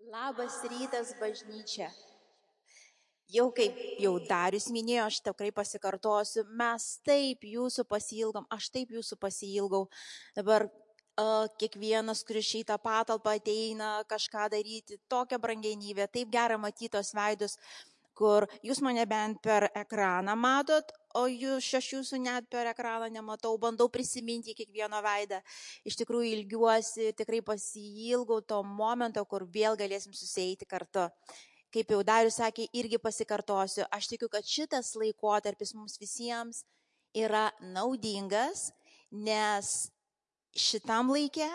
Labas rytas, bažnyčia. Jau kaip jau Darius minėjo, aš tikrai pasikartosiu, mes taip jūsų pasiilgom, aš taip jūsų pasiilgau. Dabar kiekvienas, kuris į tą patalpą ateina kažką daryti, tokią brangenybę, taip gera matyti tos veidus, kur jūs mane bent per ekraną matot, o aš jūsų net per ekraną nematau, bandau prisiminti kiekvieno veidą. Iš tikrųjų ilgiuosi, tikrai pasiilgau to momento, kur vėl galėsim susieiti kartu. Kaip jau Darius sakė, irgi pasikartosiu, aš tikiu, kad šitas laikotarpis mums visiems yra naudingas, nes šitam laikė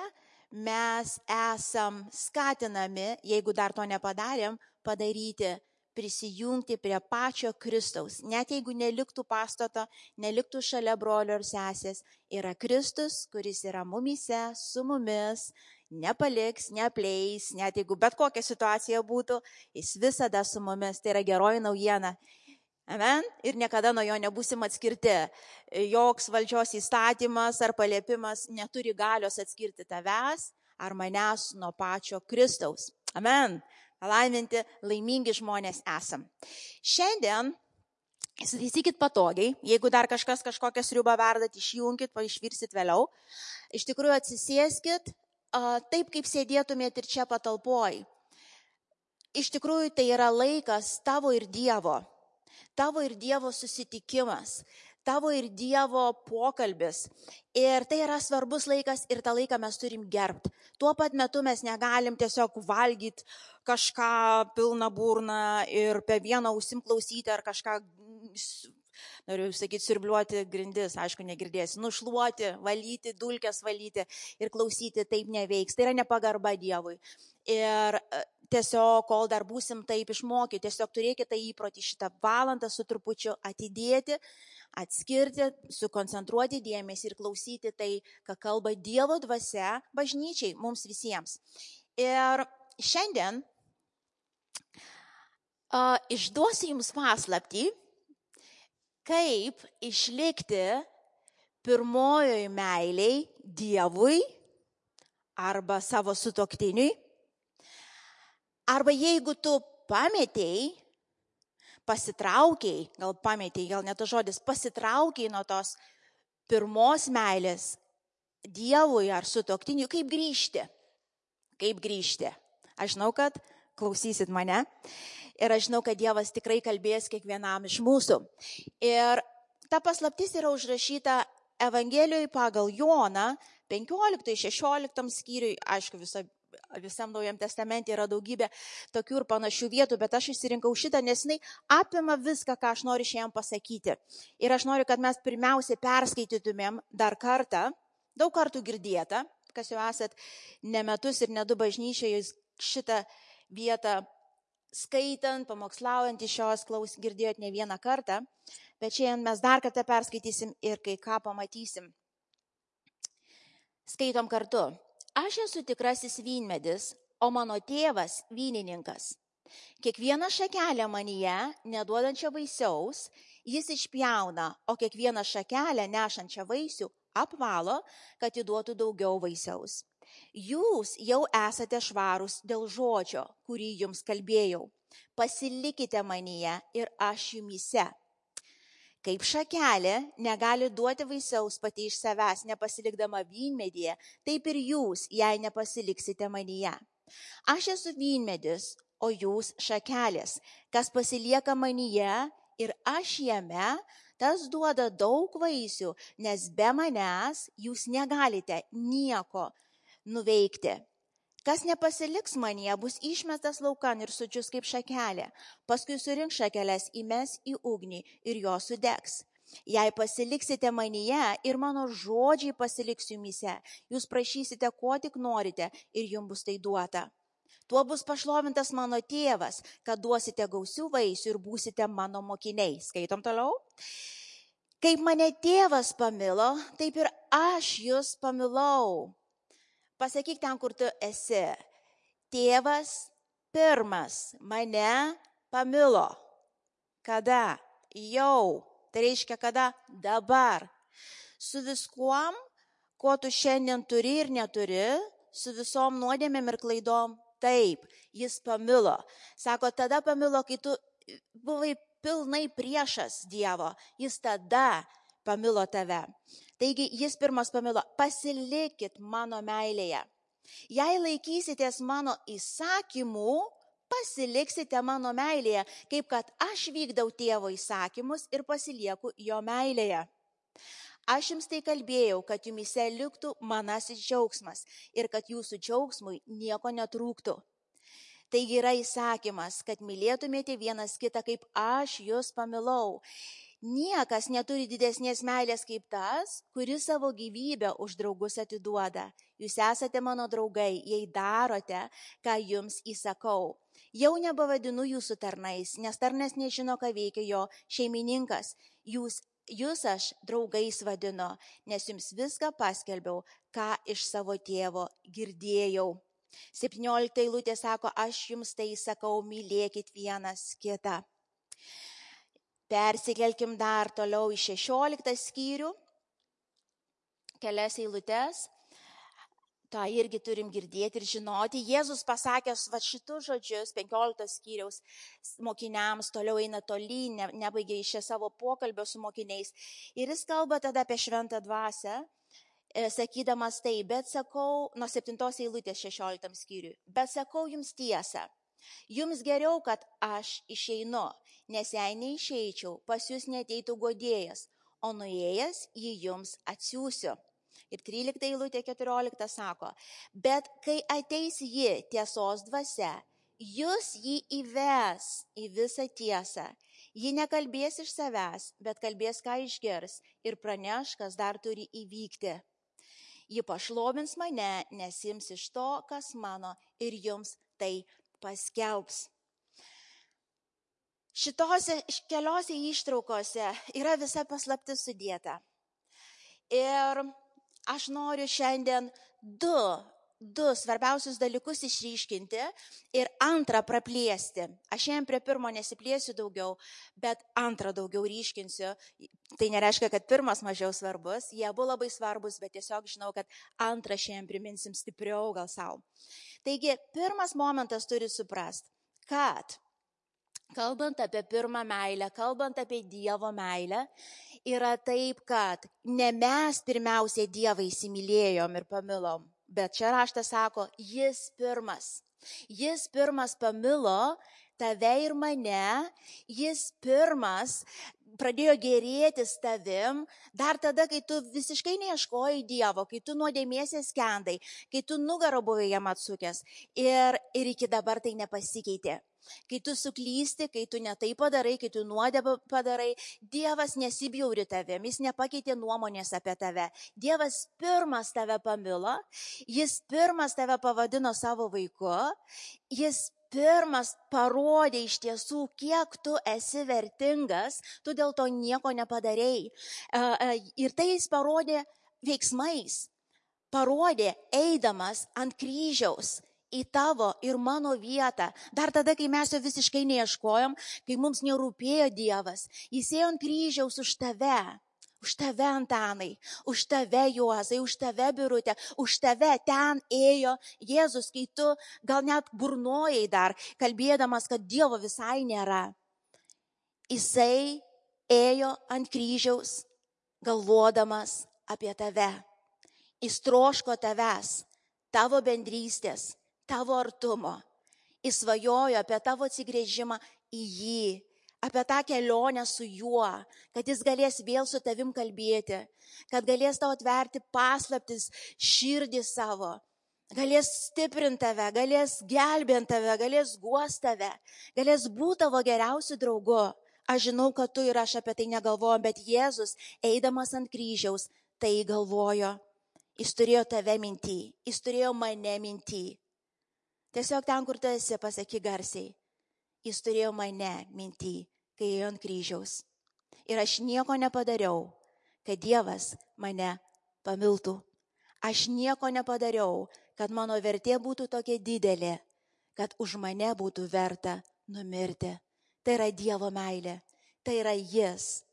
mes esam skatinami, jeigu dar to nepadarėm, padaryti, prisijungti prie pačio Kristaus. Net jeigu neliktų pastato, neliktų šalia brolio ir sesės, yra Kristus, kuris yra mumise, su mumis, nepaliks, neapleis, net jeigu bet kokia situacija būtų, jis visada su mumis. Tai yra geroji naujiena. Amen. Ir niekada nuo jo nebūsim atskirti. Joks valdžios įstatymas ar paliepimas neturi galios atskirti tavęs ar manęs nuo pačio Kristaus. Amen. Palaiminti, laimingi žmonės esam. Šiandien, įsitaisykit patogiai, jeigu dar kažkas kažkokią sriubą verdat, išjunkit, išvirsit vėliau. Iš tikrųjų atsisėskit taip, kaip sėdėtumėt ir čia patalpoj. Iš tikrųjų tai yra laikas tavo ir Dievo susitikimas, tavo ir Dievo pokalbis. Ir tai yra svarbus laikas ir tą laiką mes turim gerbti. Tuo pat metu mes negalim tiesiog valgyti kažką pilną burną ir per vieną ausim klausyti ar kažką, noriu sakyti, siurbliuoti grindis, aišku, negirdėsi, nušluoti, valyti, dulkes valyti ir klausyti, taip neveiks. Tai yra nepagarba Dievui. Ir tiesiog, kol dar būsim taip išmokyti, tiesiog turėkite įprotį šitą valandą su trupučiu atidėti, atskirti, sukoncentruoti dėmesį ir klausyti tai, ką kalba Dievo dvasia bažnyčiai, mums visiems. Ir šiandien išduosiu jums paslaptį, kaip išlikti pirmojoj meiliai Dievui arba savo sutuoktiniui. Arba jeigu tu pasitraukiai, gal ne tas žodis, pasitraukiai nuo tos pirmos meilės Dievui ar sutuoktiniui, kaip grįžti. Aš žinau, kad klausysit mane ir aš žinau, kad Dievas tikrai kalbės kiekvienam iš mūsų. Ir ta paslaptis yra užrašyta Evangelijoje pagal Joną 15-16 skyriui, aišku, visam Naujam Testamente yra daugybė tokių ir panašių vietų, bet aš išsirinkau šitą, nes jinai apima viską, ką aš noriu šiandien pasakyti. Ir aš noriu, kad mes pirmiausiai perskaitytumėm dar kartą, daug kartų girdėtą, kas jau esat ne metus ir ne du bažnyčioje šitą vietą skaitant, pamokslaujant iš šios girdėjot ne vieną kartą, bet šiandien mes dar kartą perskaitysim ir kai ką pamatysim. Skaitom kartu. Aš esu tikrasis vynmedis, o mano tėvas vynininkas. Kiekvieną šakelę manyje, neduodančią vaisiaus, jis išpjauna, o kiekvieną šakelę nešančią vaisių apvalo, kad įduotų daugiau vaisiaus. Jūs jau esate švarūs dėl žodžio, kurį jums kalbėjau. Pasilikite manyje ir aš jumyse. Kaip šakelė negali duoti vaisiaus pati iš savęs, nepasilikdama vynmedyje, taip ir jūs, jei nepasiliksite manyje. Aš esu vynmedis, o jūs šakelės. Kas pasilieka manyje ir aš jame, tas duoda daug vaisių, nes be manęs jūs negalite nieko nuveikti. Kas nepasiliks manyje, bus išmestas laukan ir sudžius kaip šakelė. Paskui surink šakeles, įmes į ugnį ir jos sudegs. Jei pasiliksite manyje ir mano žodžiai pasiliks jumyse, jūs prašysite, ko tik norite ir jums bus tai duota. Tuo bus pašlovintas mano tėvas, kad duosite gausių vaisių ir būsite mano mokiniai. Skaitom toliau. Kaip mane tėvas pamilo, taip ir aš jūs pamilau. Pasakyk ten, kur tu esi. Tėvas pirmas mane pamilo. Kada? Jau. Tai reiškia, kada? Dabar. Su viskuom, ko tu šiandien turi ir neturi, su visom nuodėmėm ir klaidom taip, jis pamilo. Sako, tada pamilo, kai tu buvai pilnai priešas Dievo, jis tada pamilo tave. Taigi jis pirmas pamilo, pasilikit mano meilėje. Jei laikysitės mano įsakymų, pasiliksite mano meilėje, kaip kad aš vykdau tėvo įsakymus ir pasilieku jo meilėje. Aš jums tai kalbėjau, kad jumise liktų manasis džiaugsmas ir kad jūsų džiaugsmui nieko netrūktų. Taigi yra įsakymas, kad mylėtumėte vienas kitą, kaip aš jūs pamilau. Niekas neturi didesnės meilės kaip tas, kuris savo gyvybę už draugus atiduoda. Jūs esate mano draugai, jei darote, ką jums įsakau. Jau nebevadinu jūsų tarnais, nes tarnas nežino, ką veikia jo šeimininkas. Jūs aš draugais vadinu, nes jums viską paskelbiau, ką iš savo tėvo girdėjau. 17 eilutė sako, aš jums tai sakau, mylėkit vienas kitą. Persikelkim dar toliau į 16 skyrių, kelias eilutes. tą irgi turim girdėti ir žinoti. Jėzus pasakęs šitus žodžius 15 skyriaus mokiniams, toliau eina tolyn, nebaigė iš savo pokalbio su mokiniais. Ir jis kalba tada apie šventą dvasią, sakydamas tai, bet sakau, nuo 7 eilutės 16 skyriui, bet sakau jums tiesą. Jums geriau, kad aš išeinu, nes jei neišeičiau, pas jūs neteitų guodėjas, o nuėjęs jį jums atsiųsiu. Ir 13 eilutė 14 sako, bet kai ateis ji tiesos dvasia, jūs jį įves į visą tiesą. Ji nekalbės iš savęs, bet kalbės, ką išgirs ir praneš, kas dar turi įvykti. Ji pašlovins mane, nes ims iš to, kas mano, ir jums tai paskelbs. Šitose keliose ištraukose yra visa paslaptis sudėta. Ir aš noriu šiandien du svarbiausius dalykus išryškinti ir antrą praplėsti. Aš šiandien prie pirmo nesiplėsiu daugiau, bet antrą daugiau ryškinsiu. Tai nereiškia, kad pirmas mažiau svarbus, jie abu labai svarbus, bet tiesiog žinau, kad antrą šiandien priminsim stipriau gal savo. Taigi, pirmas momentas turi suprast, kad kalbant apie pirmą meilę, kalbant apie Dievo meilę, yra taip, kad ne mes pirmiausiai Dievą įsimylėjom ir pamilom, bet čia raštas sako, jis pirmas. Jis pirmas pamilo tave ir mane, jis pirmas pradėjo gėrėtis tavim, dar tada, kai tu visiškai neieškojai Dievo, kai tu nuodėmėsies skendai, kai tu nugarą buvai jam atsukęs ir iki dabar tai nepasikeitė. Kai tu suklysti, kai tu netai padarai, kai tu nuodėmę padarai, Dievas nesibjauri tavim, jis nepakeitė nuomonės apie tave. Dievas pirmas tave pamilo, jis pirmas tave pavadino savo vaiku, jis pirmas parodė iš tiesų, kiek tu esi vertingas, tu dėl to nieko nepadarei. Ir tai jis parodė veiksmais, parodė eidamas ant kryžiaus į tavo ir mano vietą. Dar tada, kai mes jo visiškai neieškojom, kai mums nerūpėjo Dievas, jis ėjo ant kryžiaus už tave. Už tave, Antanai, už tave, Juozai, už tave, Birutė, už tave ten ėjo Jėzus, kai tu gal net burnojai dar, kalbėdamas, kad Dievo visai nėra. Jisai ėjo ant kryžiaus, galvodamas apie tave. Jis troško tavęs, tavo bendrystės, tavo artumo. Jis svajojo apie tavo atsigręžimą į jį, apie tą kelionę su juo, kad jis galės vėl su tavim kalbėti, kad galės tau atverti paslaptis širdį savo, galės stiprinti tave, galės gelbėti tave, galės guosti tave, galės būti tavo geriausiu draugu. Aš žinau, kad tu ir aš apie tai negalvojom, bet Jėzus, eidamas ant kryžiaus, tai galvojo. Jis turėjo tave minty, jis turėjo mane minty. Tiesiog ten, kur tu esi, pasakyk garsiai. Jis turėjo mane minty, kai ėjo ant kryžiaus. Ir aš nieko nepadariau, kad Dievas mane pamiltų. Aš nieko nepadariau, kad mano vertė būtų tokia didelė, kad už mane būtų verta numirti. Tai yra Dievo meilė. Tai yra Jis.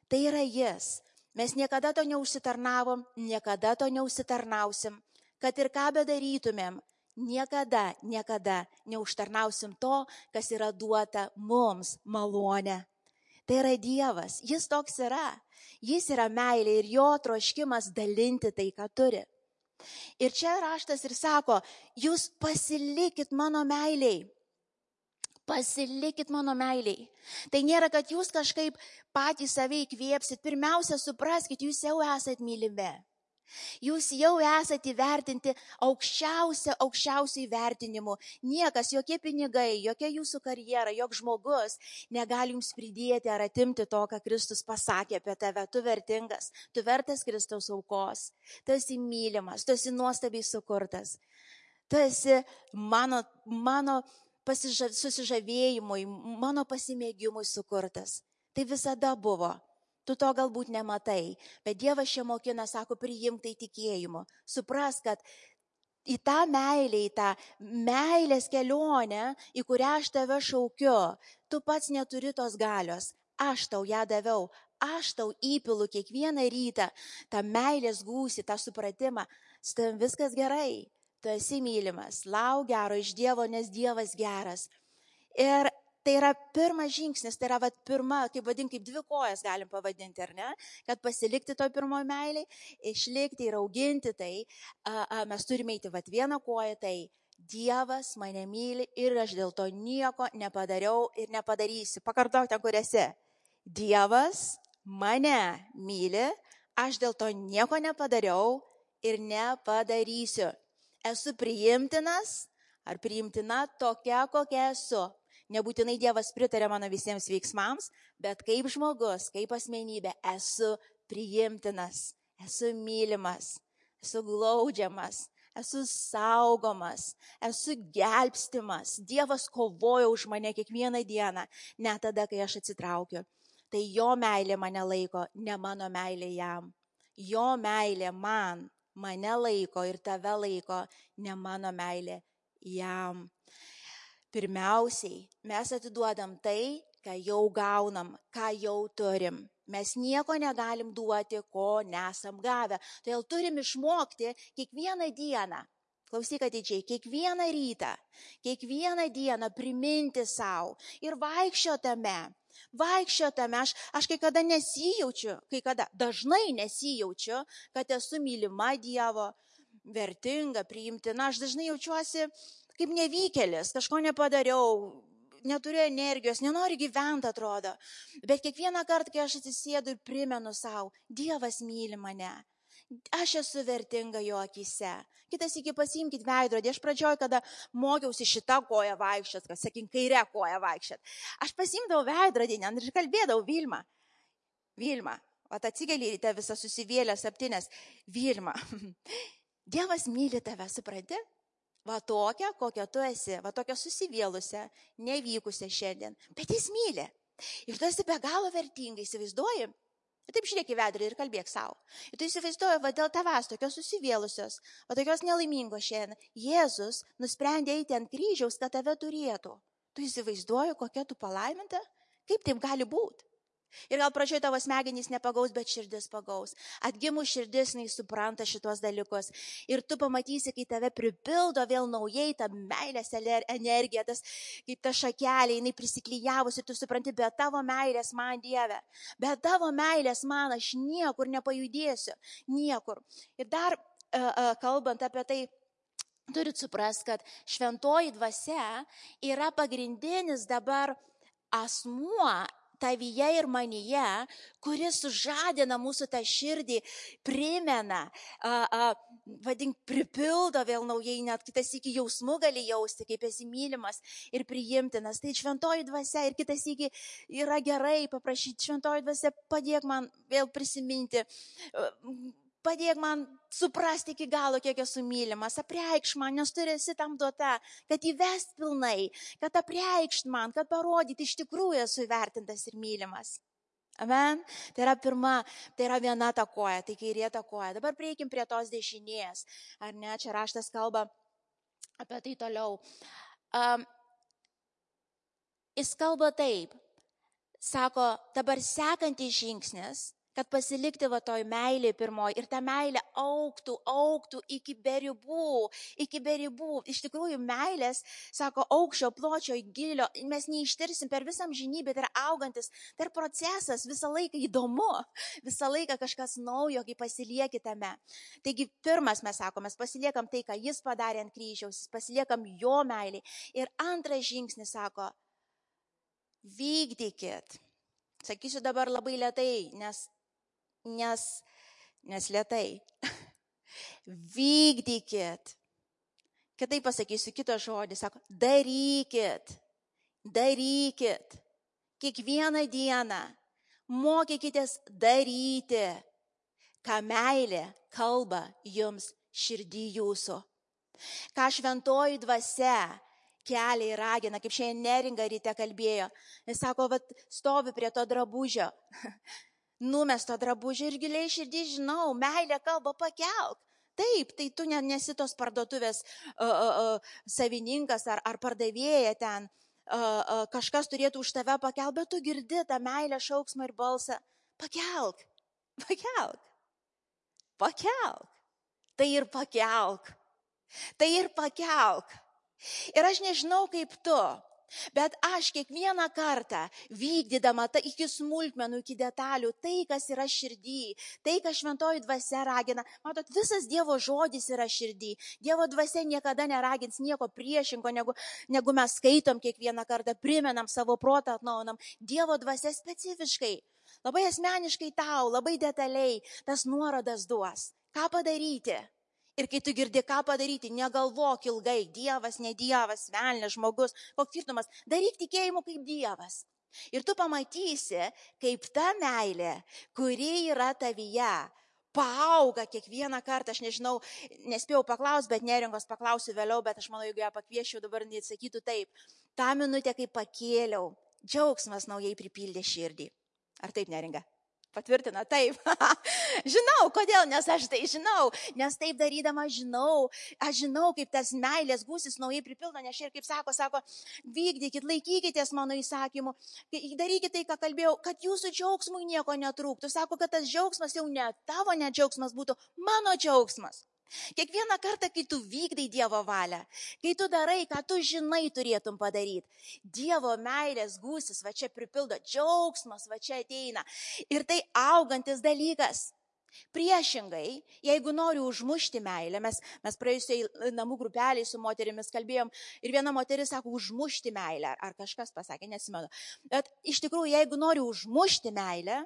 Tai yra Jis. Mes niekada to neužsitarnavom, niekada to neužsitarnausim. Kad ir ką bedarytumėm, niekada neužtarnausim to, kas yra duota mums malonė. Tai yra Dievas, jis toks yra. Jis yra meilė ir jo troškimas dalinti tai, ką turi. Ir čia raštas ir sako, jūs pasilikit mano meiliai. Pasilikit mano meiliai. Tai nėra, kad jūs kažkaip patys save įkvėpsit. Pirmiausia, supraskit, jūs jau esat mylimi. Jūs jau esate įvertinti aukščiausių įvertinimu. Niekas, jokie pinigai, jokia jūsų karjera, joks žmogus negali jums pridėti ar atimti to, ką Kristus pasakė apie tave. Tu vertingas, tu vertas Kristaus aukos. Tu esi mylimas, tu esi nuostabiai sukurtas. Tu esi mano susižavėjimui, mano pasimėgimui sukurtas. Tai visada buvo. Tu to galbūt nematai, bet Dievas čia mokina, sako, priimk tai tikėjimu. Supras, kad į tą meilę, į tą meilės kelionę, į kurią aš tave šaukiu, tu pats neturi tos galios. Aš tau ją daviau, aš tau įpilu kiekvieną rytą tą meilės gūsį, tą supratimą. Su tavim viskas gerai, tu esi mylimas, lauk gero iš Dievo, nes Dievas geras. Ir tai yra pirmas žingsnis, tai yra pirma, kaip 2 kojas galim pavadinti, ar ne? Kad pasilikti toj pirmoji meiliai, išlikti ir auginti tai, mes turime eiti vieną koją, tai Dievas mane myli ir aš dėl to nieko nepadariau ir nepadarysiu. Pakartok ten, kur esi. Dievas mane myli, aš dėl to nieko nepadariau ir nepadarysiu. Esu priimtinas ar priimtina tokia, kokia esu. Nebūtinai Dievas pritarė mano visiems veiksmams, bet kaip žmogus, kaip asmenybė esu priimtinas, esu mylimas, esu glaudžiamas, esu saugomas, esu gelbstimas. Dievas kovoja už mane kiekvieną dieną, net tada, kai aš atsitraukiu. Tai jo meilė mane laiko, ne mano meilė jam. Jo meilė mane laiko ir tave laiko, ne mano meilė jam. Pirmiausiai, mes atiduodam tai, ką jau gaunam, ką jau turim. Mes nieko negalim duoti, ko nesam gavę. Todėl turim išmokti kiekvieną dieną, klausyk atidžiai, kiekvieną rytą, kiekvieną dieną priminti savo ir vaikščiotame. Aš kai kada nesijaučiu, dažnai nesijaučiu, kad esu mylima Dievo, vertinga, priimtina. Aš dažnai jaučiuosi kaip nevykėlis, kažko nepadariau, neturiu energijos, nenoriu gyventi, atrodo. Bet kiekvieną kartą, kai aš atsisėdu ir primenu savo, Dievas myli mane, aš esu vertinga jo akyse. Kitas iki pasiimkit veidrodį. Aš pradžioj, kada mokiausi šitą koją vaikščiot, kas sakykim, kairę koją vaikščiot. Aš pasimdavau veidrodį ir kalbėdavau, Vilma, atsikeli ryte visą susivėlęs, aptinės, Vilma, Dievas myli tave, supranti? Va tokia, kokia tu esi, va tokia susivėlusią, nevykusią šiandien. Bet jis myli. Ir tu esi be galo vertingai, įsivaizduoji? Ir taip žiūrėk į veidrodį ir kalbėk savo. Ir tu įsivaizduoji, va dėl tavęs tokios susivėlusios, va tokios nelaimingos šiandien. Jėzus nusprendė eiti ant kryžiaus, kad tave turėtų. Tu įsivaizduoji, kokia tu palaiminta? Kaip taip gali būti? Ir gal pradžioje tavo smegenys nepagaus, bet širdis pagaus. Atgimus širdis, jinai supranta šitos dalykus. Ir tu pamatysi, kai tave pripildo vėl naujai ta meilės energija, kaip ta šakelė, jinai prisiklyjavus ir tu supranti, be tavo meilės man, Dieve, be tavo meilės man aš niekur nepajudėsiu, niekur. Ir dar kalbant apie tai, turit suprast, kad šventoji dvasia yra pagrindinis dabar asmuo tavyje ir manyje, kuris sužadina mūsų tą širdį, primena, pripildo vėl naujai, net kitas iki jausmų gali jausti, kaip esi mylimas ir priimtinas. Tai šventoji dvasia ir kitas iki yra gerai paprašyti, šventoji dvasia, padėk man vėl prisiminti, padėk man suprasti iki galo, kiek esu mylimas, apreikš man, nes tu esi tam duota, kad įvest pilnai, kad apreikšt man, kad parodyti, iš tikrųjų esu įvertintas ir mylimas. Amen. Tai yra pirma, tai yra viena ta koja, tai kairė ta koja. Dabar prieikim prie tos dešinės. Ar ne, čia raštas kalba apie tai toliau. Jis kalba taip, sako, dabar sekantis žingsnis, kad pasilikti va toj meilė pirmoji ir ta meilė augtų iki beribų. Iš tikrųjų, meilės, sako, aukščio, pločio, gilio, mes neištirsim per visą amžinybę, tai yra augantis, tai yra procesas, visą laiką įdomu, visą laiką kažkas naujo, kai pasilieki tame. Taigi, pirmas mes sakom, mes pasiliekam tai, ką jis padarė ant kryžiaus, pasiliekam jo meilį. Ir antras žingsnis, sako, vykdykit. Sakysiu dabar labai lėtai, nes lėtai. Vykdykit. Kitaip pasakysiu kitą žodį, sako, darykit. Kiekvieną dieną mokykitės daryti, ką meilė kalba jums širdį jūsų. Ką šventoji dvasia kelia ir ragina, kaip šiandien Neringa ryte kalbėjo. Jis sako, vat, stovi prie to drabužio, numesto drabužio ir giliai širdį žinau, meilė kalba, pakelk. Taip, tai tu nesi tos parduotuvės savininkas ar pardavėja ten, kažkas turėtų už tave pakelk, bet tu girdi tą meilę šauksmą ir balsą. Pakelk. Tai ir pakelk. Ir aš nežinau kaip tu, bet aš kiekvieną kartą vykdydama iki smulkmenų, iki detalių, tai, kas yra širdį, tai, kas šventoji dvasia ragina. Matot, visas Dievo žodis yra širdį. Dievo dvasia niekada neragins nieko priešingo, negu mes skaitom kiekvieną kartą, primenam savo protą, atnaujinam. Dievo dvasia specifiškai, labai asmeniškai tau, labai detaliai tas nuorodas duos. Ką padaryti? Ir kai tu girdi, ką padaryti, negalvok ilgai, Dievas, ne Dievas, velnias, žmogus, koks skirtumas, daryk tikėjimu kaip Dievas. Ir tu pamatysi, kaip ta meilė, kuri yra tavyje, paauga kiekvieną kartą. Aš nežinau, nespėjau paklausti, bet Neringos paklausiu vėliau, bet aš manau, jeigu ją pakvieščiau, dabar neatsakytų taip. Ta minutė, kai pakėliau, džiaugsmas naujai pripildė širdį. Ar taip, Neringa? Patvirtina, taip. Žinau, kodėl, nes aš tai žinau, nes taip darydama aš žinau, kaip tas meilės gūsis naujai pripildo, nes ir kaip sako, vykdykit, laikykitės mano įsakymų, darykit tai, ką kalbėjau, kad jūsų džiaugsmui nieko netrūktų. Sako, kad tas džiaugsmas jau ne tavo džiaugsmas būtų, mano džiaugsmas. Kiekvieną kartą, kai tu vykdai Dievo valią, kai tu darai, ką tu žinai turėtum padaryti, Dievo meilės gūsis va čia pripildo, džiaugsmas va čia ateina. Ir tai augantis dalykas. Priešingai, jeigu nori užmušti meilę, mes praėjusiai namų grupeliai su moterimis kalbėjom ir viena moteris sako užmušti meilę, ar kažkas pasakė, nesimenu. Bet iš tikrųjų, jeigu nori užmušti meilę,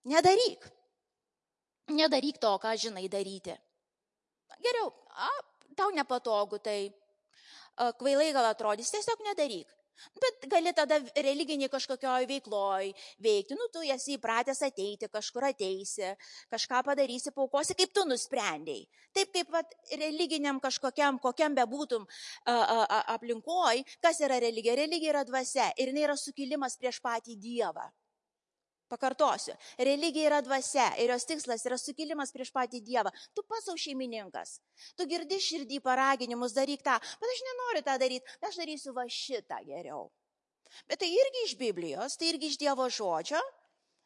nedaryk. Nedaryk to, ką žinai daryti. Geriau, tau nepatogu, tai kvailai gal atrodys, tiesiog nedaryk. Bet gali tada religiniai kažkokioj veikloj veikti, tu esi įpratęs ateiti, kažkur ateisi, kažką padarysi, paukosi, kaip tu nusprendėjai. Taip kaip religiniam kažkokiam, kokiam bebūtum aplinkoj, kas yra religija? Religija yra dvasia ir jinai yra sukilimas prieš patį Dievą. Pakartosiu, religija yra dvasia ir jos tikslas yra sukilimas prieš patį Dievą. Tu pats savo šeimininkas, tu girdi širdį paraginimus, daryk tą, bet aš nenoriu tą daryti, aš darysiu va šitą geriau. Bet tai irgi iš Biblijos, tai irgi iš Dievo žodžio,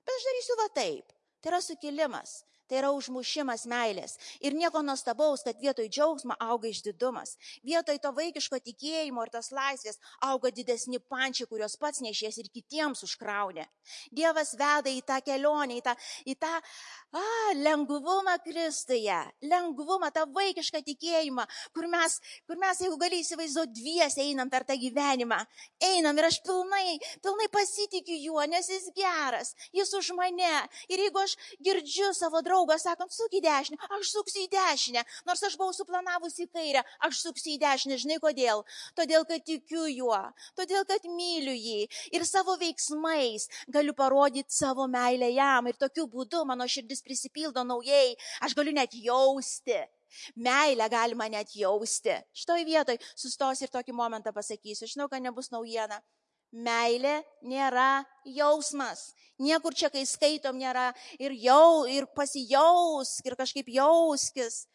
bet aš darysiu va taip. Tai yra sukilimas, tai yra užmušimas meilės. Ir nieko nuostabaus, kad vietoj džiaugsmo auga išdidumas. Vietoj to vaikiško tikėjimo ir tos laisvės auga didesni pančiai, kurios pats nešies ir kitiems užkraunė. Dievas veda į tą kelionę, į tą lengvumą Kristuje, lengvumą, tą vaikišką tikėjimą, kur mes, jeigu gali įsivaizduoti, dviese einam per tą gyvenimą. Einam ir aš pilnai pasitikiu juo, nes jis geras, jis už mane. Ir jeigu aš girdžiu savo draugą sakant, suk į dešinę, aš suksiu į dešinę. Nors aš buvau suplanavusi į kairę, aš suksiu į dešinę. Žinai kodėl? Todėl, kad tikiu juo, todėl, kad myliu jį. Ir savo veiksmais galiu parodyti savo meilę jam. Ir tokiu būdu mano širdis prisipildo naujai. Aš galiu net jausti. Meilę galima net jausti. Šitoj vietoj sustos ir tokį momentą pasakysiu. Žinau, kad nebus naujiena. Meilė nėra jausmas. Niekur čia, kai skaitom, nėra ir pasijausk, ir kažkaip jauskis.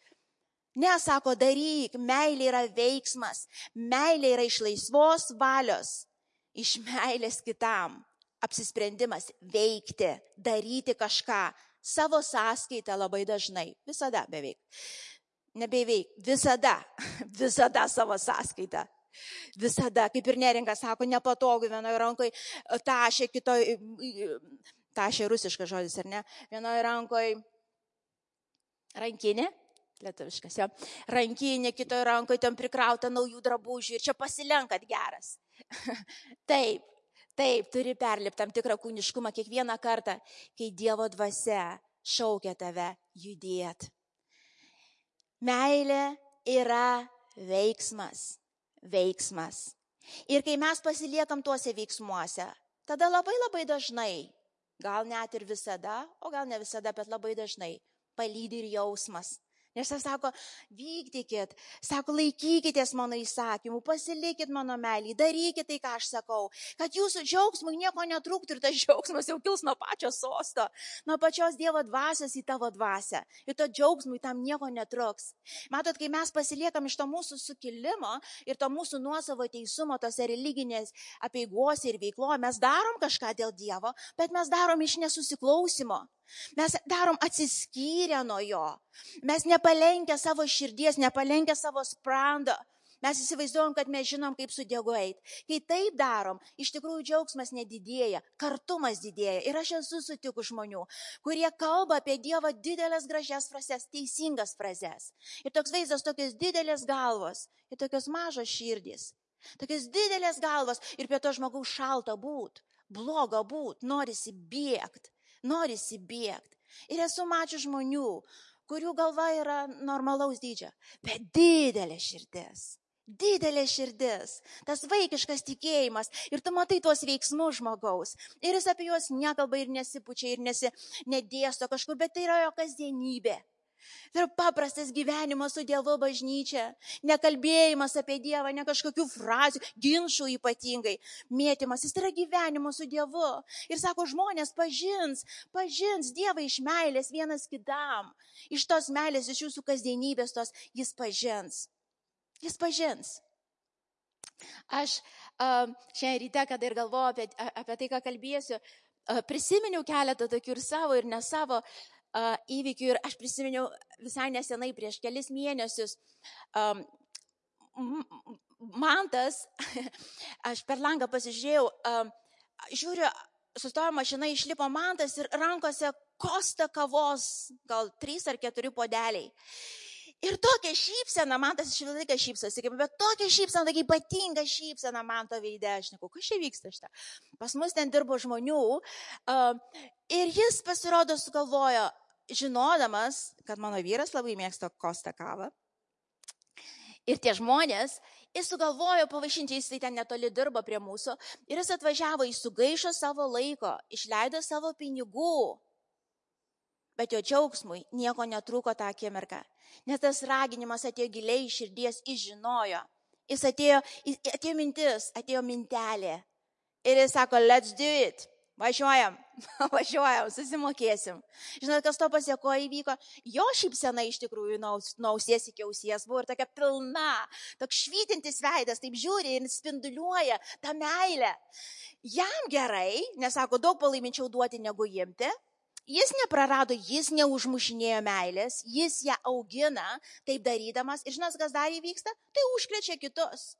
Ne, sako, daryk. Meilė yra veiksmas. Meilė yra iš laisvos valios. Iš meilės kitam. Apsisprendimas veikti, daryti kažką savo sąskaitą labai dažnai, visada beveik, nebeveik, visada savo sąskaitą. Visada, kaip ir Neringa sako, nepatogu vienoje rankoje tašė, kitoje, tašė rusiškas žodis, ar ne, vienoje rankoje rankinė, lietuviškas, jo, rankinė, kitoje rankoje tam prikrauta naujų drabužių ir čia pasilenkat geras. Taip, turi perlipti tam tikrą kūniškumą kiekvieną kartą, kai Dievo dvasia šaukia tave judėt. Meilė yra veiksmas. Ir kai mes pasiliekam tuose veiksmuose, tada labai dažnai, gal net ir visada, o gal ne visada, bet labai dažnai palydi ir jausmas. Nes jis sako, vykdykit, sako, laikykitės mano įsakymų, pasilikit mano meilį, darykit tai, ką aš sakau, kad jūsų džiaugsmui nieko netrūktų ir tas džiaugsmas jau kils nuo pačio sosto, nuo pačios Dievo dvasios į tavo dvasią. Ir to džiaugsmui tam nieko netruks. Matot, kai mes pasiliekam iš to mūsų sukilimo ir to mūsų nuosavo teisumo, tose religinės apeigose ir veikloje, mes darom kažką dėl Dievo, bet mes darom iš nesusiklausimo. Mes darom atsiskyrę nuo jo. Mes nepalenkę savo širdies, nepalenkę savo sprando. Mes įsivaizduojam, kad mes žinom, kaip su Dievu eiti. Kai taip darom, iš tikrųjų džiaugsmas nedidėja, kartumas didėja. Ir aš esu sutikus žmonių, kurie kalba apie Dievą didelės gražias frazes, teisingas frazes. Ir toks vaizdas, tokios didelės galvos ir tokios mažos širdys. Tokios didelės galvos ir prie to žmogaus šalta būt, bloga būt, norisi bėgti. Ir esu mačius žmonių, kurių galva yra normalaus dydžio, bet didelė širdis, tas vaikiškas tikėjimas ir tu matai tuos veiksmus žmogaus ir jis apie juos nekalba ir nesipučia ir nedėsto kažkur, bet tai yra jo kasdienybė. Tai yra paprastas gyvenimas su Dievo bažnyčia, nekalbėjimas apie Dievą, ne kažkokių frazių, ginčų ypatingai, mėtymas, jis yra gyvenimo su Dievu. Ir sako, žmonės pažins Dievą iš meilės vienas kitam, iš tos meilės, iš jūsų kasdienybės tos, jis pažins. Aš šiandien ryte, kada ir galvoju apie tai, ką kalbėsiu, prisiminiau keletą tokių ir savo, ir ne savo įvykių ir aš prisiminiau visai nesenai, prieš kelis mėnesius, Mantas, aš per langą pasižiūrėjau, žiūriu, sustojo mašina, išlipo Mantas ir rankose kosta kavos, gal 3 ar 4 puodeliai. Ir tokia šypsena, Mantas iš visą laiką šypsosi, bet tokia šypsena, tokia ypatinga šypsena Manto veide, aš neku, kas čia vyksta šitą. Pas mus ten dirbo žmonių ir jis pasirodo sugalvojo, žinodamas, kad mano vyras labai mėgsta kostą kavą. Ir tie žmonės, jis sugalvojo pavaišinti, jis tai ten netoli dirbo prie mūsų, ir jis atvažiavo, jis sugaišo savo laiko, išleido savo pinigų. Bet jo džiaugsmui nieko netrūko tą akimirką, nes tas raginimas atėjo giliai iš širdies, jis žinojo. Jis atėjo mintis, atėjo mintelė. Ir jis sako, let's do it. Važiuojam, susimokėsim. Žinot, kas to pasiekoje įvyko? Jo šypsena iš tikrųjų nuo ausies iki ausies buvo ir tokia pilna, toks švytintis veidas, taip žiūri ir spinduliuoja tą meilę. Jam gerai, nes sako, daug palaiminčiau duoti negu imti. Jis neprarado, jis neužmušinėjo meilės, jis ją augina, taip darydamas. Ir žinot, kas dar įvyksta? Tai užkrečia kitus.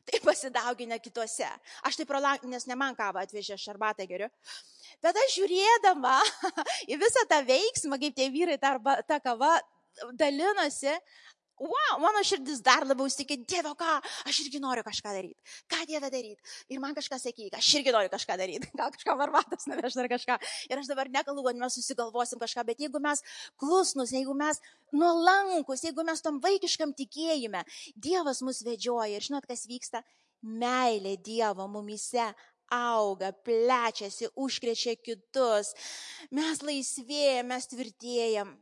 Tai pasidaugina kituose. Aš tai nes ne man kavą atvežė, aš arbatą geriu. Bet aš žiūrėdama į visą tą veiksmą, kaip tie vyrai tą kavą dalinosi, wow, mano širdis dar labiau įstikė, Dieve, ką, aš irgi noriu kažką daryti. Ką Dieve daryti? Ir man kažką sakyk, aš irgi noriu kažką daryti. Gal kažką arbatas nuveš dar kažką. Ir aš dabar nekalbu, kad mes susigalvosim kažką, bet jeigu mes klusnus, jeigu mes nuolankus, jeigu mes tom vaikiškam tikėjime, Dievas mus vedžioja. Ir žinot, kas vyksta? Meilė Dievo mumyse auga, plečiasi, užkrečia kitus. Mes laisvėjam, mes tvirtėjam.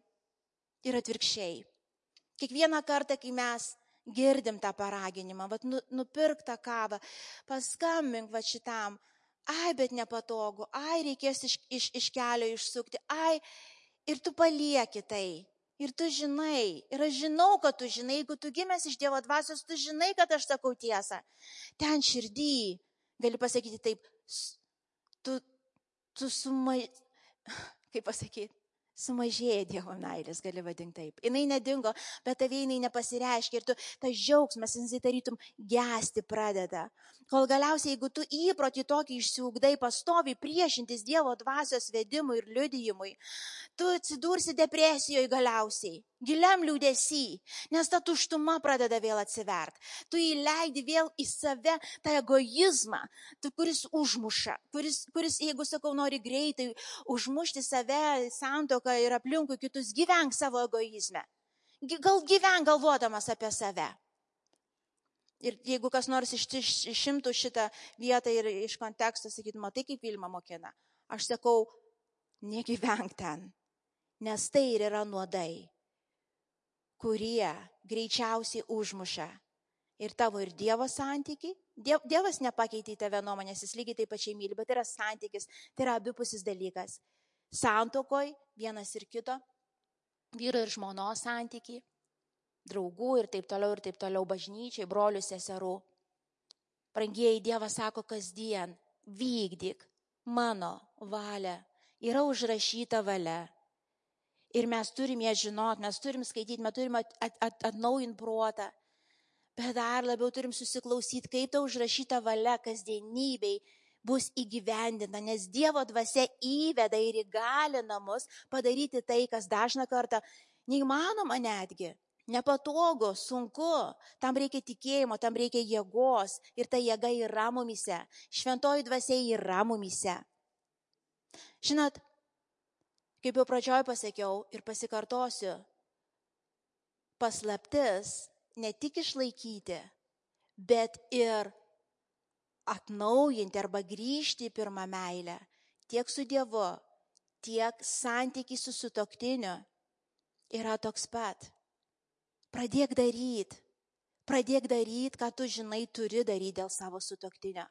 Ir atvirkščiai. Kiekvieną kartą, kai mes girdim tą paraginimą, nupirk tą kavą, paskambink šitam, bet nepatogu, reikės iš kelio išsukti, ir tu palieki tai, ir tu žinai, ir aš žinau, kad tu žinai, jeigu tu gimęs iš Dievo dvasios, tu žinai, kad aš sakau tiesą. Ten širdį, gali pasakyti taip, kaip pasakyti, Sumažėja Dievo meilės, gali vadinti taip. Jis nedingo, bet tavai jinai nepasireiškia ir tu tas džiaugsmas, jis tarytum gesti pradeda. Kol galiausiai, jeigu tu įprotį tokį išsiugdai, pastovi priešintis Dievo dvasios vedimui ir liudijimui, tu atsidursi depresijoje galiausiai, giliam liūdesy, nes ta tuštuma pradeda vėl atsivert. Tu įleidi vėl į save tą egoizmą, kuris užmuša, kuris, jeigu sakau, nori greitai užmušti save, santuoką ir aplinkui kitus, gyvenk savo egoizme. Gyvenk galvodamas apie save. Ir jeigu kas nors išimtų šitą vietą ir iš konteksto sakytų, matai, kaip Vilma mokina, aš sakau, negyvenk ten. Nes tai ir yra nuodai, kurie greičiausiai užmuša ir tavo ir Dievo santykį. Dievas nepakeitė tave nuomonės, jis lygiai taip pačiai myli, bet yra santykis, tai yra abipusis dalykas. Santuokoj vienas ir kito, vyro ir žmonos santykį, draugų ir taip toliau, bažnyčiai, brolių, seserų. Brangieji, Dievas sako kasdien, vykdyk mano valią, yra užrašyta valia. Ir mes turim ją žinot, mes turim skaityti, mes turim atnaujinti protą, bet dar labiau turim susiklausyti, kaip ta užrašyta valia kasdienybei bus įgyvendinta, nes Dievo dvasia įveda ir įgalina mus padaryti tai, kas dažną kartą neįmanoma netgi, nepatogu, sunku, tam reikia tikėjimo, tam reikia jėgos ir ta jėga yra mumise, šventoji dvasia yra mumise. Žinot, kaip jau pradžioj pasakiau ir pasikartosiu, paslaptis ne tik išlaikyti, bet ir atnaujinti arba grįžti į pirmą meilę, tiek su Dievu, tiek santykiai su sutuoktiniu yra toks pat. Pradėk daryti, ką tu žinai turi daryti dėl savo sutuoktinio.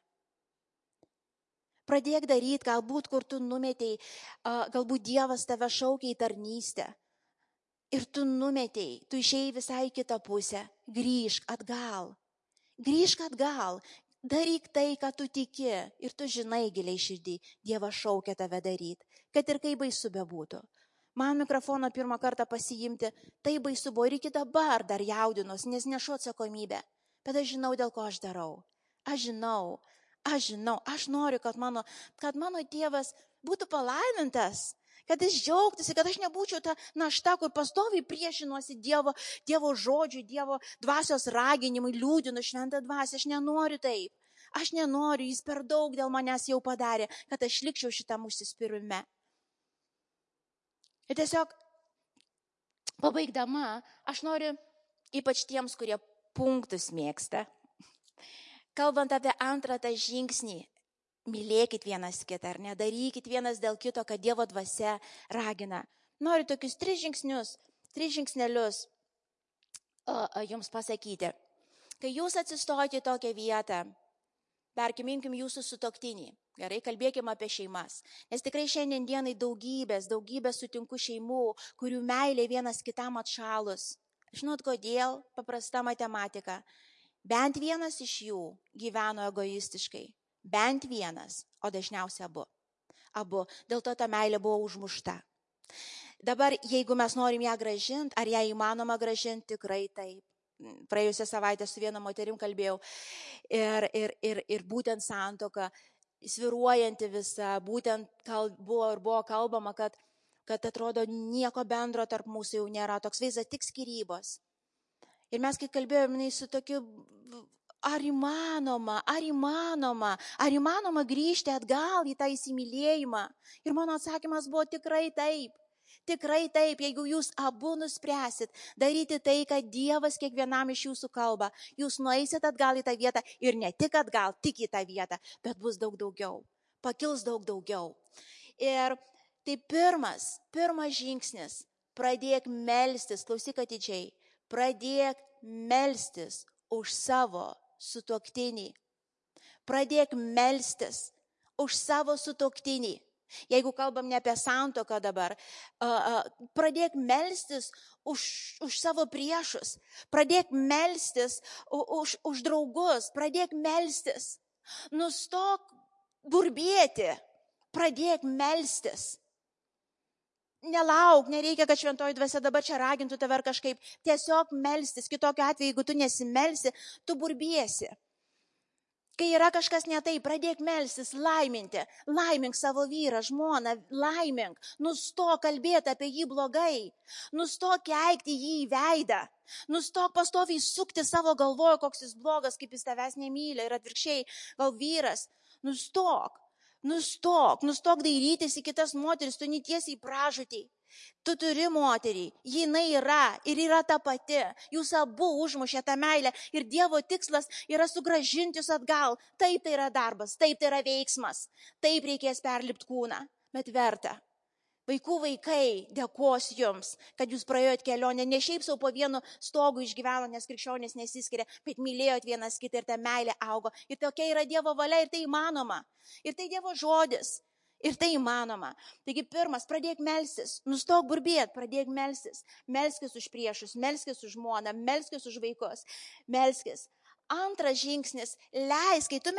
Pradėk daryti, galbūt kur tu numetei, galbūt Dievas tave šaukia į tarnystę. Ir tu numetei, tu išėjai visai kitą pusę. Grįžk atgal. Daryk tai, ką tu tiki. Ir tu žinai giliai širdį, Dievas šaukia tave daryti. Kad ir kaip baisu bebūtų. Man mikrofoną pirmą kartą pasiimti, tai baisu buvo ir iki dabar dar jaudinus, nes nešu atsakomybę. Bet aš žinau, dėl ko aš darau. Aš žinau, aš noriu, kad mano tėvas būtų palaimintas, kad jis džiaugtųsi, kad aš nebūčiau ta našta, kur pastoviai priešinuosi Dievo žodžiui, Dievo dvasios raginimui, liūdinu šventą dvasią. Aš nenoriu taip. Aš nenoriu, jis per daug dėl manęs jau padarė, kad aš likčiau šitam užsispyrime. Ir tiesiog pabaigdama, aš noriu ypač tiems, kurie punktus mėgsta, kalbant apie antrą tą žingsnį, mylėkit vienas kitą, ar nedarykit vienas dėl kito, kad Dievo dvasia ragina. Noriu tokius 3 žingsnelius jums pasakyti. Kai jūs atsistojate į tokią vietą, perkiminkim jūsų sutuoktinį. Gerai, kalbėkime apie šeimas. Nes tikrai šiandien dienai daugybės sutinku šeimų, kurių meilė vienas kitam atšalus. Žinot kodėl? Paprasta matematika. Bent vienas iš jų gyveno egoistiškai. Bent vienas, o dažniausiai abu. Dėl to ta meilė buvo užmušta. Dabar, jeigu mes norim ją gražinti, ar ją įmanoma gražinti, tikrai taip. Praėjusią savaitę su viena moterim kalbėjau ir būtent santuoka, sviruojanti visa, būtent buvo kalbama, kad atrodo nieko bendro tarp mūsų jau nėra, toks vaizdas tik skyrybos. Ir mes kai kalbėjome su tokiu, ar įmanoma grįžti atgal į tą įsimylėjimą. Ir mano atsakymas buvo tikrai taip, jeigu jūs abu nuspręsit daryti tai, kad Dievas kiekvienam iš jūsų kalba, jūs nueisit atgal į tą vietą ir ne tik atgal, tik į tą vietą, bet bus daug daugiau, pakils daug daugiau. Ir tai pirmas žingsnis, pradėk melstis, klausyk atidžiai, pradėk melstis už savo sutuoktinį. Pradėk melstis už savo sutuoktinį. Jeigu kalbam ne apie santuoką dabar, pradėk melstis už savo priešus, pradėk melstis už draugus, pradėk melstis. Nustok burbėti, pradėk melstis. Nelauk, nereikia, kad šventoji dvasia dabar čia ragintų tave ar kažkaip. Tiesiog melstis. Kitokiu atveju, jeigu tu nesimelsi, tu burbiesi. Kai yra kažkas ne taip, pradėk melstis, laiminti. Laimink savo vyrą, žmoną, laimink. Nustok kalbėti apie jį blogai. Nustok keikti jį į veidą. Nustok pastoviai sukti savo galvoje, koks jis blogas, kaip jis tavęs nemyli ir atvirkščiai, gal vyras. Nustok dairytis į kitas moteris, tu netiesi į pražūtį. Tu turi moterį, jinai yra ir yra ta pati. Jūs abu užmušė tą meilę ir Dievo tikslas yra sugrąžinti jūs atgal. Taip tai yra darbas, taip tai yra veiksmas, taip reikės perlipti kūną, bet verta. Vaikai, dėkos jums, kad jūs praėjot kelionę, ne šiaip savo po vienu stogu išgyveno, nes krikščionys nesiskiria, bet mylėjot vienas kitą ir ta meilė augo. Ir tokia yra Dievo valia ir tai įmanoma. Ir tai Dievo žodis. Ir tai įmanoma. Taigi pirmas, pradėk melstis, nustok burbėt, pradėk melstis. Melskis už priešus, melskis už žmoną, melskis už vaikus, melskis. Antras žingsnis, kai tu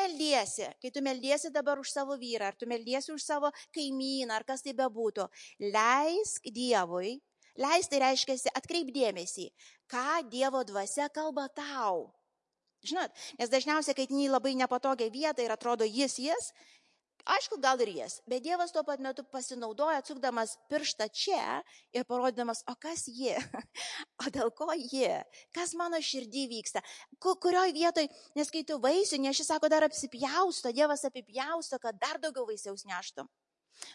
meldiesi dabar už savo vyrą, ar tu meldiesi už savo kaimyną, ar kas tai bebūtų, leisk Dievui, tai reiškia, atkreip dėmesį, ką Dievo dvasia kalba tau. Žinot, nes dažniausiai, kai tai labai nepatogia vieta ir atrodo jis, aišku, gal ir jis, bet Dievas tuo pat metu pasinaudoja, atsukdamas pirštą čia ir parodydamas, o kas ji, o dėl ko ji, kas mano širdį vyksta, kurioj vietoj, nes kai tu vaisių neši, sako, dar apsipjausto, Dievas apipjausto, kad dar daugiau vaisiaus neštum.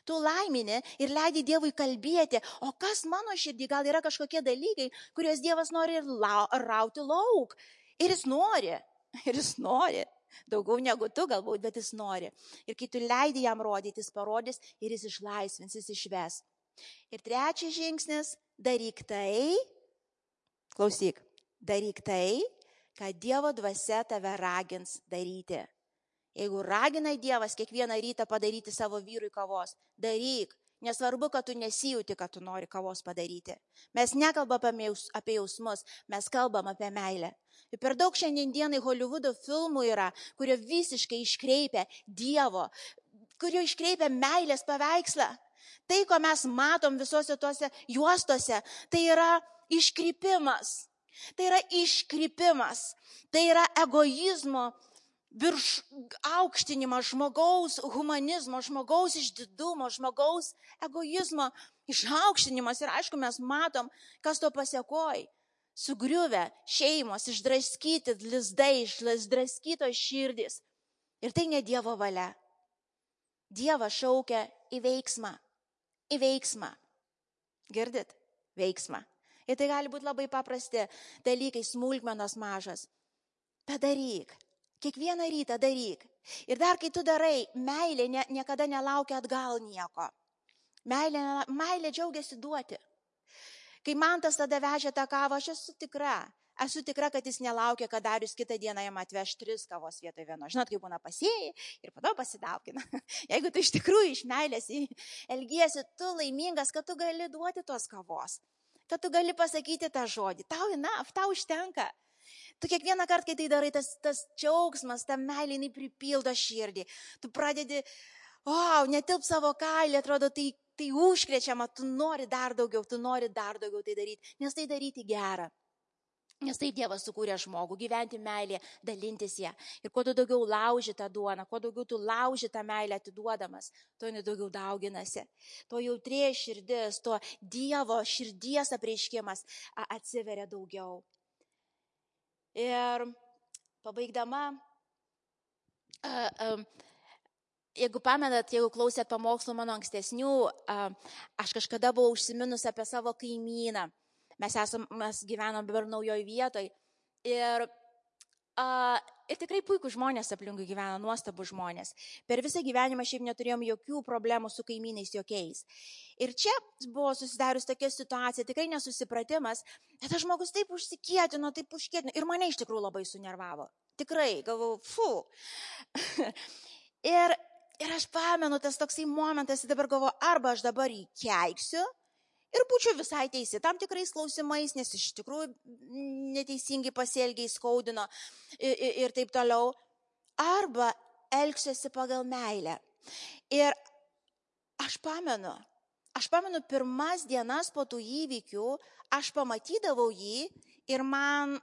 Tu laimini ir leidi Dievui kalbėti, o kas mano širdį, gal yra kažkokie dalykai, kuriuos Dievas nori rauti lauk. Ir jis nori. Daugiau negu tu galbūt, bet jis nori. Ir kai tu leidi jam rodyti, jis parodys ir jis išlaisvins, jis išves. Ir trečias žingsnis, daryk tai, kad Dievo dvasia tave ragins daryti. Jeigu raginai Dievas kiekvieną rytą padaryti savo vyrui kavos, daryk. Nesvarbu, kad tu nesijauti, kad tu nori kavos padaryti. Mes nekalbame apie jausmus, mes kalbam apie meilę. Ir per daug šiandienai Holivudo filmų yra, kurie visiškai iškreipia Dievo, kurie iškreipia meilės paveikslą. Tai, ko mes matom visose tuose juostose, tai yra iškrypimas. Tai yra egoizmo virš aukštinimas žmogaus humanizmo, žmogaus išdidumo, žmogaus egoizmo išaukštinimas. Ir aišku, mes matom, kas to pasiekoja. Sugriuvę šeimos, išdraskyti lizdai, išdraskytos širdys. Ir tai ne Dievo valia. Dievas šaukia į veiksmą. Girdit? Veiksmą. Ir tai gali būti labai paprasti dalykai, smulkmenos mažas. Padaryk. Kiekvieną rytą daryk. Ir dar kai tu darai, meilė niekada nelaukia atgal nieko. Meilė džiaugiasi duoti. Kai Mantas tada vežė tą kavą, aš esu tikra, kad jis nelaukia, kad Darius kitą dieną jam atveš 3 kavos vietoj vieno. Žinot, kaip būna pasėjai ir po to pasidaugina. Jeigu tu iš tikrųjų iš meilės elgiesi, tu laimingas, kad tu gali duoti tos kavos. Kad tu gali pasakyti tą žodį. Tau užtenka. Tu kiekvieną kartą, kai tai darai, tas džiaugsmas, ta meilė, jinai pripildo širdį. Tu pradedi, netilp savo kailį, atrodo, tai užkrečiama, tu nori dar daugiau tai daryti, nes tai daryti gera. Nes tai Dievas sukūrė žmogų, gyventi meilėje, dalintis ją. Ir kuo tu daugiau lauži tą duoną, kuo daugiau tu lauži tą meilę atiduodamas, tuo jinai daugiau dauginasi. Tuo jautrėja širdis, tuo Dievo širdies apreiškimas atsiveria daugiau. Ir pabaigdama, jeigu pamenat, jeigu klausėt pamokslų mano ankstesnių, aš kažkada buvau užsiminus apie savo kaimyną. Mes gyvenom dabar naujoj vietoj. Ir tikrai puikūs žmonės aplinkui gyvena, nuostabus žmonės. Per visą gyvenimą šiaip neturėjom jokių problemų su kaimynais jokiais. Ir čia buvo susidarius tokia situacija, tikrai nesusipratimas, bet tas žmogus taip užsikietino, ir mane iš tikrųjų labai sunervavo. Tikrai, galvojau, Ir aš pamenu, tas toksai momentas, dabar galvoju, arba aš dabar jį keiksiu ir būčiau visai teisi tam tikrais klausimais, nes iš tikrųjų neteisingai pasielgiai skaudino ir taip toliau, arba elgsiuosi pagal meilę. Ir aš pamenu, Aš pamenu, pirmas dienas po tų įvykių, aš pamatydavau jį ir man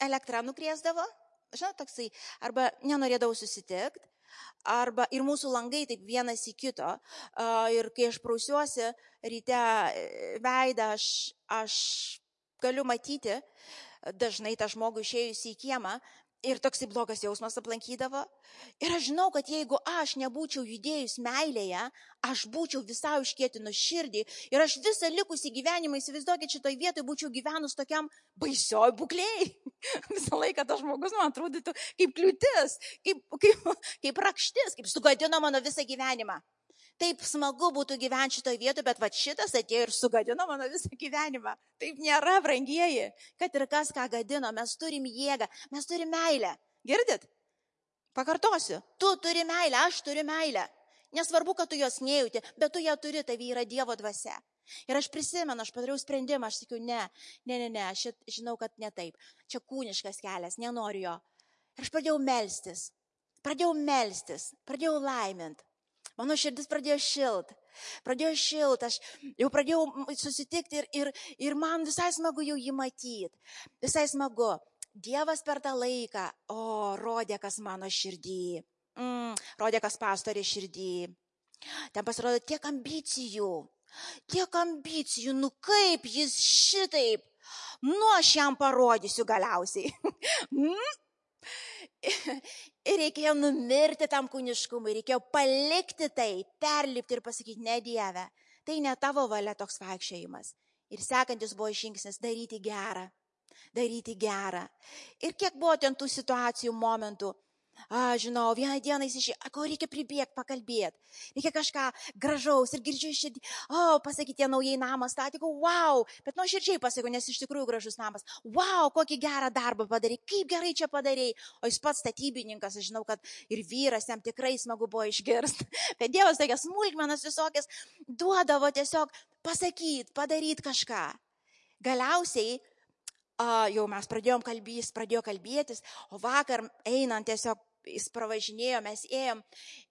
elektra nukriesdavo, žinot, toksai, arba nenorėdavau susitikti, arba ir mūsų langai taip vienas į kito. Ir kai aš prausiuosi ryte veidą, aš galiu matyti dažnai tą žmogų išėjusi į kiemą ir toksai blogas jausmas aplankydavo. Ir aš žinau, kad jeigu aš nebūčiau judėjus meilėje, aš būčiau visai užkietinus širdį ir aš visą likusį gyvenimą, įsivaizduokit, šitoj vietoj būčiau gyvenus tokiam baisioj būklėj. Visą laiką tas žmogus man atrodytų kaip kliūtis, kaip rakštis, kaip sugadino mano visą gyvenimą. Taip smagu būtų gyventi šitoj vietoj, bet va šitas atėjo ir sugadino mano visą gyvenimą. Taip nėra, brangieji, kad ir kas ką gadino, mes turim jėgą, mes turim meilę. Girdit? Pakartosiu, tu turi meilę, aš turiu meilę. Nesvarbu, kad tu jos nejauti, bet tu ją turi, tai yra Dievo dvasia. Ir aš prisimenu, aš padariau sprendimą, aš sakiau, ne, aš žinau, kad ne taip. Čia kūniškas kelias, nenoriu jo. Ir aš pradėjau melstis, pradėjau laimint. Mano širdis pradėjo šilt, aš jau pradėjau susitikti ir man visai smagu jau jį matyti, visai smagu. Dievas per tą laiką, rodė kas mano širdį, rodė kas pastorė širdį. Ten pasirodo tiek ambicijų, kaip jis šitaip, aš jam parodysiu galiausiai. Ir reikėjo numirti tam kūniškumui, reikėjo palikti tai, perlipti ir pasakyti, ne Dieve, tai ne tavo valia toks vaikščiojimas. Ir sekantis buvo žingsnis daryti gerą. Ir kiek buvo ten tų situacijų, momentų, žinau, vieną dieną jis išėjo, ko reikia pribėgti, pakalbėti, reikia kažką gražaus ir girdžiu širdį, pasakyti, tie naujai namą statė, wow, bet nuoširdžiai pasakiau, nes iš tikrųjų gražus namas, wow, kokį gerą darbą padarai, kaip gerai čia padarai, o jis pats statybininkas, aš žinau, kad ir vyras jam tikrai smagu buvo išgirsti, bet Dievas tokias smulkmenas visokias duodavo tiesiog pasakyti, padaryti kažką. Galiausiai, jau mes pradėjo kalbėtis, o vakar einant tiesiog jis pravažinėjo, mes ėjom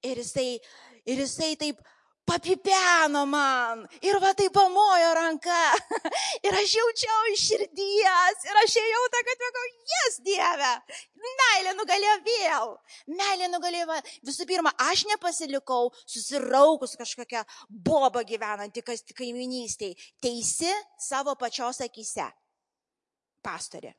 ir jisai taip papipeno man ir va taip pamojo ranka ir aš jaučiau iš širdies ir aš ėjau tą, kad sakau, yes, Dieve, meilė nugalėjo vėl. Visų pirma, aš nepasilikau susiraukus kažkokią bobą gyvenantį kaiminystėj, teisi savo pačios akyse. Pastorė.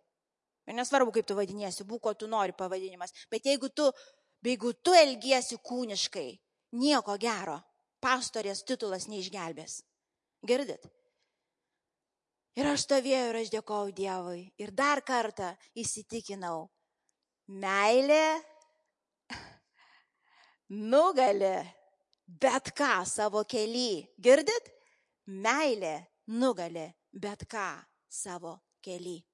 Ir nesvarbu, kaip tu vadinėsi, būk, ko tu nori pavadinimas, bet jeigu tu elgiesi kūniškai, nieko gero, pastorės titulas neišgelbės. Girdit? Ir aš stovėjau ir aš dėkojau Dievui ir dar kartą įsitikinau, meilė nugali bet ką savo kely. Girdit? Meilė nugali bet ką savo kely.